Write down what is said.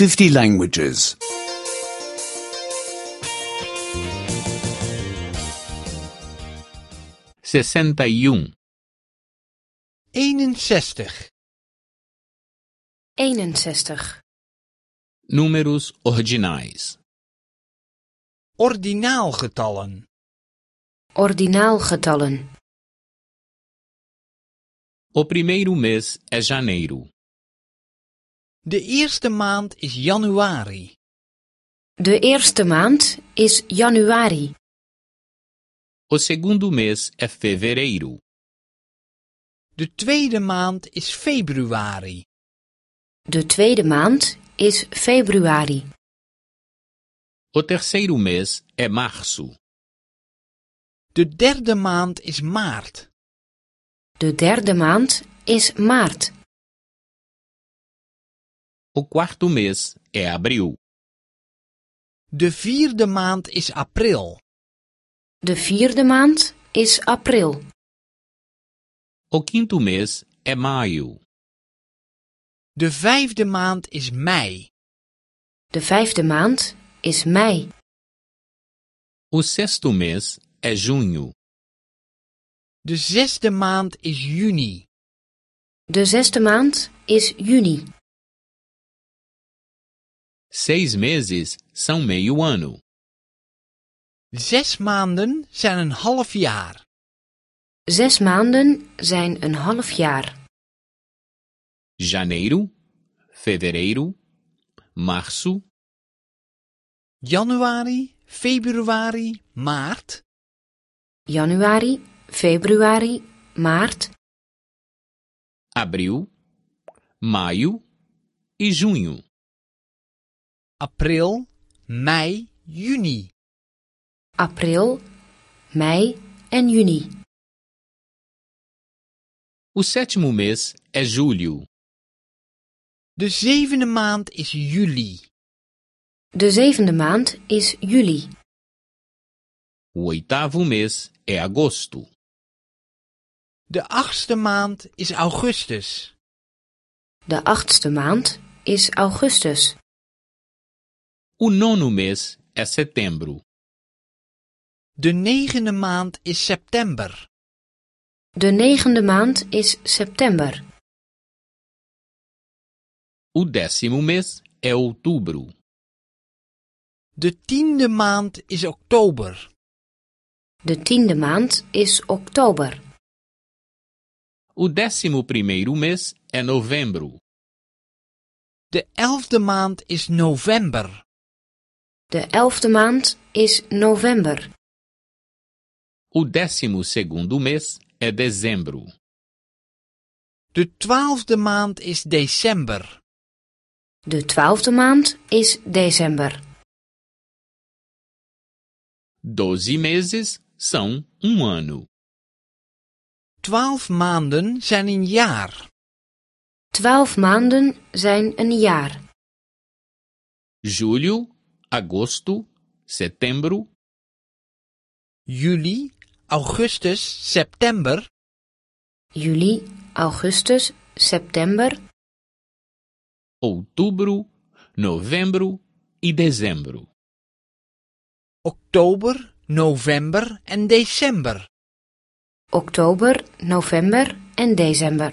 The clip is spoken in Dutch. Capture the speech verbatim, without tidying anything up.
fifty languages. sessenta e um, eenenzestig, eenenzestig. números ordinais. ordinaalgetallen, Ordinaalgetallen. O primeiro mês é janeiro. de eerste maand is januari, De eerste maand is januari. O segundo mês é fevereiro. de tweede maand is februari, De tweede maand is februari. O terceiro mês é março. de derde maand is maart, De derde maand is maart. O quarto mês é abril. de vierde maand is april, De vierde maand is april. O quinto mês é maio. de vijfde maand is mei, De vijfde maand is mei. O sexto mês é junho. de zesde maand is juni, De zesde maand is juni. Seis meses são meio ano. zes maanden zijn een half jaar, Zes maanden zijn een half jaar. Janeiro, fevereiro, março, januari, februari, maart, Januari, februari, maart, abril, maio e junho. april, mei, juni, april, mei en juni. O sétimo mês é julho. de zevende maand is juli, De zevende maand is juli. O oitavo mês é agosto. de achtste maand is augustus, De achtste maand is augustus. O nono mês é setembro. de negende maand is september, De negende maand is september. O décimo mês é outubro. de tiende maand is oktober, De tiende maand is oktober. O décimo primeiro mês é novembro. de elfde maand is november, De elfde maand is november. O décimo segundo mês é dezembro. de twaalfde maand is december, De twaalfde maand is december. Doze meses são um ano. twaalf maanden zijn een jaar, Twaalf maanden zijn een jaar. Julho, agosto, setembro, juli, augustus, september, Juli, augustus, september, outubro, novembro e dezembro. oktober, november en december. oktober, november en december.